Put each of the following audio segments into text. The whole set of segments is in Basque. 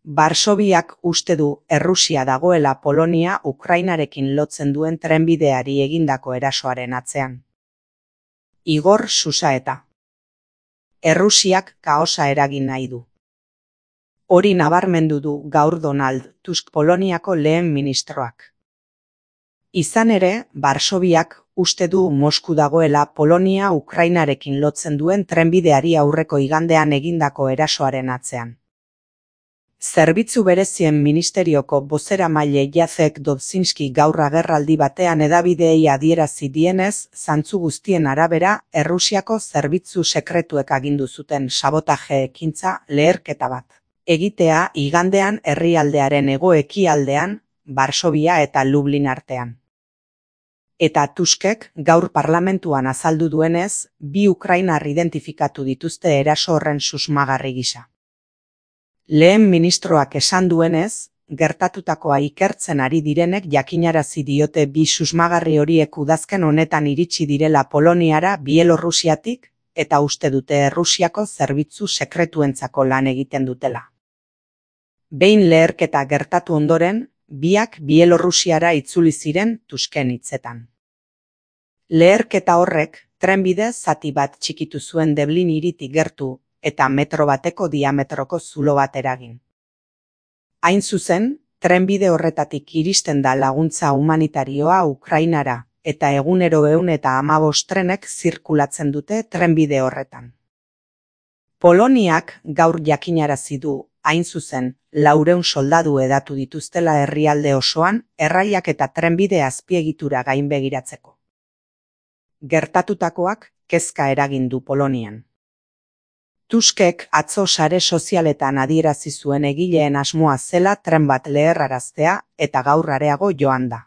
Varsoviak uste du Errusia dagoela Polonia Ukrainarekin lotzen duen trenbideari egindako erasoaren atzean. Igor Susaeta. Errusiak kaosa eragin nahi du. Hori nabarmendu du gaur Donald Tusk Poloniako lehen ministroak. Izan ere, Varsoviak uste du Mosku dagoela Polonia Ukrainarekin lotzen duen trenbideari aurreko igandean egindako erasoaren atzean. Zerbitzu berezien ministerioko bozeramaile Jacek Dobzhinski gaur agerraldi batean hedabideei adierazi dienez, zantzu guztien arabera, Errusiako zerbitzu sekretuek agindu zuten sabotaje ekintza leherketa bat egitea igandean herrialdearen hego-ekialdean, Varsovia eta Lublin artean. Eta Tuskek gaur parlamentuan azaldu duenez, bi ukrainar identifikatu dituzte eraso horren susmagarri gisa. Lehen ministroak esan duenez, gertatutakoa ikertzen ari direnek jakinarazi diote bi susmagarri horiek udazken honetan iritsi direla Poloniara Bielorrusiatik eta uste dute Errusiako zerbitzu sekretuentzako lan egiten dutela. Behin leherketa gertatu ondoren, biak Bielorrusiara itzuli ziren Tusken hitzetan. Leherketa horrek trenbide zati bat txikitu zuen Deblin hiritik gertu eta metro bateko diametroko zulo bat eragin. Hain zuzen, trenbide horretatik iristen da laguntza humanitarioa Ukrainara eta egunero 115 trenek zirkulatzen dute trenbide horretan. Poloniak gaur jakinarazi du, hain zuzen, 400 soldadu edatu dituztela herrialde osoan, erraiak eta trenbide azpiegitura gainbegiratzeko. Gertatutakoak kezka eragin du Polonian. Tuskek atzo sare sozialetan adierazi zuen egileen asmoa zela tren bat leherraraztea eta gaur areago joan da.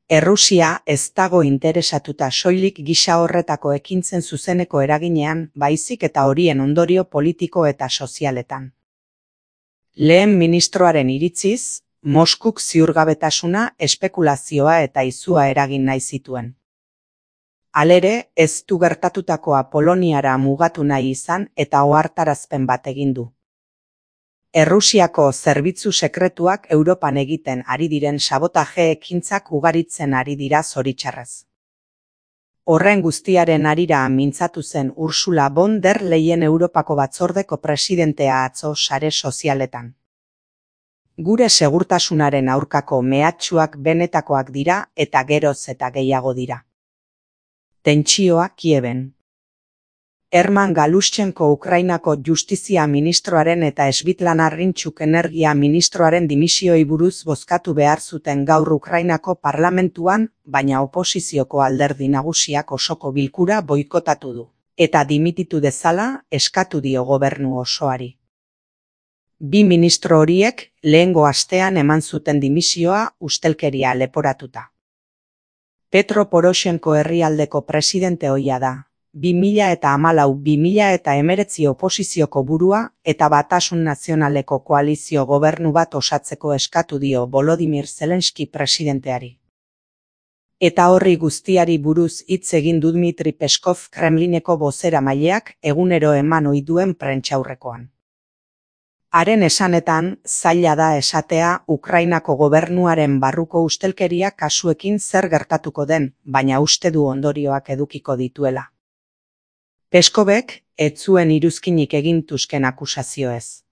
Errusia ez dago interesatuta soilik gisa horretako ekintzen zuzeneko eraginean, baizik eta horien ondorio politiko eta sozialetan. Lehen ministroaren iritziz, Moskuk ziurgabetasuna, espekulazioa eta izua eragin nahi zituen. Halere, ez du gertatutakoa Poloniara mugatu nahi izan eta ohartarazpen bat egin du. Errusiako zerbitzu sekretuak Europan egiten ari diren sabotaje ekintzak ugaritzen ari dira zoritxarrez. Horren guztiaren harira mintzatu zen Ursula von der Leyen Europako batzordeko presidentea atzo sare sozialetan. Gure segurtasunaren aurkako mehatxuak benetakoak dira eta geroz eta gehiago dira. Tentsioa Kieben. Herman Galushchenko Ukrainako justizia ministroaren eta Svetlana Hrintxuk energia ministroaren dimisioei buruz bozkatu behar zuten gaur Ukrainako parlamentuan, baina oposizioko alderdi nagusiak osoko bilkura boikotatu du, eta dimititu dezala eskatu dio gobernu osoari. Bi ministro horiek lehengo astean eman zuten dimisioa ustelkeria leporatuta. Petro Poroshenko herrialdeko presidente ohia da, 2014-2019 oposizioko burua eta Batasun Nazionaleko koalizio gobernu bat osatzeko eskatu dio Volodymyr Zelenski presidenteari. Eta horri guztiari buruz hitz egin du Dmitry Peskov Kremlineko bozeramaileak egunero eman ohi duen prentsaurrekoan. Haren esanetan, zaila da esatea Ukrainako gobernuaren barruko ustelkeria kasuekin zer gertatuko den, baina uste du ondorioak edukiko dituela. Peskovek ez zuen iruzkinik egin Tusken akusazioez.